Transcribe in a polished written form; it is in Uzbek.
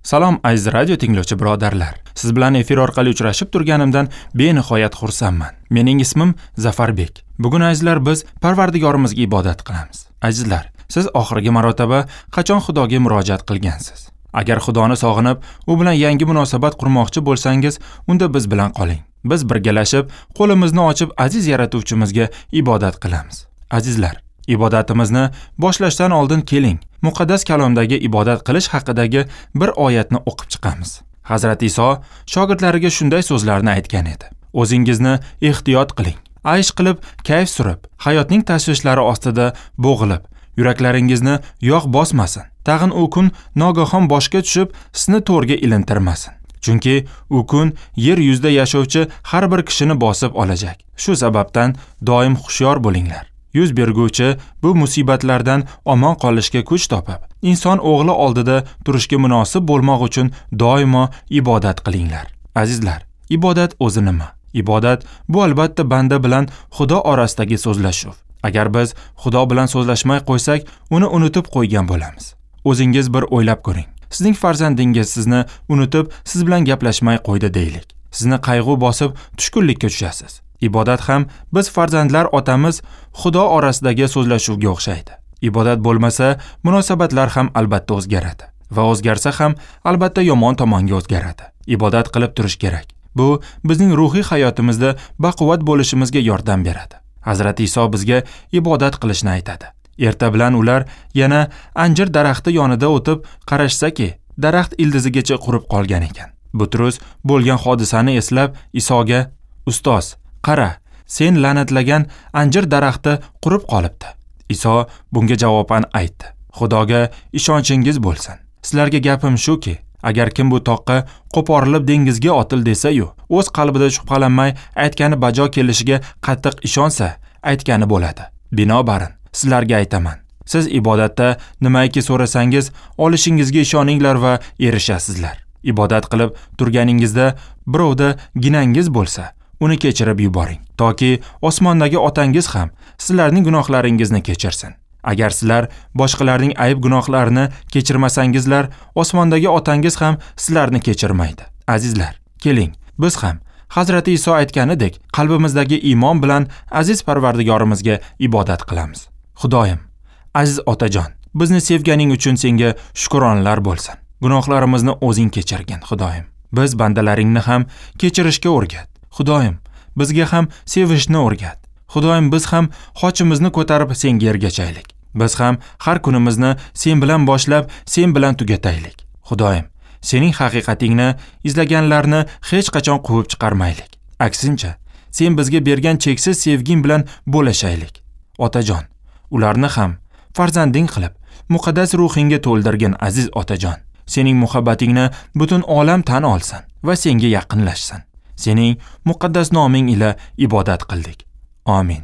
Salom aziz radio tinglovchi birodarlar. Siz bilan efir orqali uchrashib turganimdan benihoyat xursandman. Mening ismim Zafarbek. Bugun azizlar biz Parvardigorimizga ibodat qilamiz. Azizlar, siz oxirgi marotaba qachon Xudoga murojaat qilgansiz? Agar Xudoni sog'inib, u bilan yangi munosabat qurmoqchi bo'lsangiz, unda biz bilan qoling. Biz birgalashib, qo'limizni ochib aziz yaratuvchimizga ibodat qilamiz. Azizlar, ibodatimizni boshlashdan oldin keling, muqaddas kalomdagi ibodat qilish haqidagi bir oyatni o'qib chiqamiz. Hazrat Iso shogirdlariga shunday so'zlarni aytgan edi: O'zingizni ehtiyot qiling. Aysh qilib, kayf surib, hayotning tashvishlari ostida bo'g'ilib, yuraklaringizni yog' bosmasin. Tag'in u kun nogahon boshga tushib, sizni to'rga ilintirmasin. Chunki u kun yer yuzida yashovchi har bir kishini bosib olajak. Shu sababdan doim hushyor bo'linglar. Yuz berguvchi bu musibatlardan omon qolishga kuch topib, inson o'g'li oldida turishga munosib bo'lmoq uchun doimo ibodat qilinglar. Azizlar, ibodat o'zi nima? Ibodat bu albatta banda bilan Xudo orasidagi so'zlashuv. Agar biz Xudo bilan so'zlashmay qo'ysak, uni unutib qo'ygan bo'lamiz. O'zingiz bir o'ylab ko'ring. Sizning farzandingiz sizni unutib, siz bilan gaplashmay qo'ydi deylik. Sizni qayg'u bosib, tushkunlikka tushasiz. Ibodat ham biz farzandlar otamiz Xudo orasidagi so'zlashuvga o'xshaydi. Ibodat bo'lmasa, munosabatlar ham albatta o'zgaradi va o'zgarsa ham albatta yomon tomonga o'zgaradi. Ibodat qilib turish kerak. Bu bizning ruhiy hayotimizda baquvvat bo'lishimizga yordam beradi. Hazrat Iso bizga ibodat qilishni aytadi. Erta bilan ular yana anjir daraxti yonida o'tib qarashsaki, daraxt ildizigacha qurib qolgan ekan. Butrus bo'lgan hodisani eslab Isoga: "Ustoz, qara, sen la'natlagan anjir daraxti qurib qolibdi." Iso bunga javoban aytdi: "Xudoga ishonchingiz bo'lsin. Sizlarga gapim shuki, agar kim bu toqqa qo'porilib dengizga otil desa-yu, o'z qalbida shubhalanmay aytgani bajo kelishiga qattiq ishonsa, aytgani bo'ladi. Binobarin, sizlarga aytaman, siz ibodatda nimaiki so'rasangiz, olishingizga ishoninglar va erishasizlar. Ibodat qilib turganingizda birovda ginangiz bo'lsa, uni kechirib yuboring, toki osmondagi otangiz ham sizlarning gunohlaringizni kechirsin. Agar sizlar boshqalarning ayb gunohlarini kechirmasangizlar, osmondagi otangiz ham sizlarni kechirmaydi." Azizlar, keling, biz ham Hazrati Iso aytganidek qalbimizdagi iymon bilan aziz Parvardigorimizga ibodat qilamiz. Xudoyim, aziz otajon, bizni sevganing uchun senga shukronlar bo'lsin. Gunohlarimizni o'zing kechirgin, Xudoyim. Biz bandalaringni ham kechirishga o'rgat. Xudoyim, bizga ham sevishni o'rgat. Xudoyim, biz ham xochimizni ko'tarib senga ergashaylik. Biz ham har kunimizni sen bilan boshlab, sen bilan tugataylik. Xudoyim, sening haqiqatingni izlaganlarni hech qachon quvib chiqarmaylik. Aksincha, sen bizga bergan cheksiz sevging bilan bo'lashaylik. Otajon, ularni ham farzanding qilib, muqaddas ruhingga to'ldirgin aziz otajon. Sening muhabbatingni butun olam tan olsin va senga yaqinlashsin. Sening muqaddas noming ila ibodat qildik. Amin.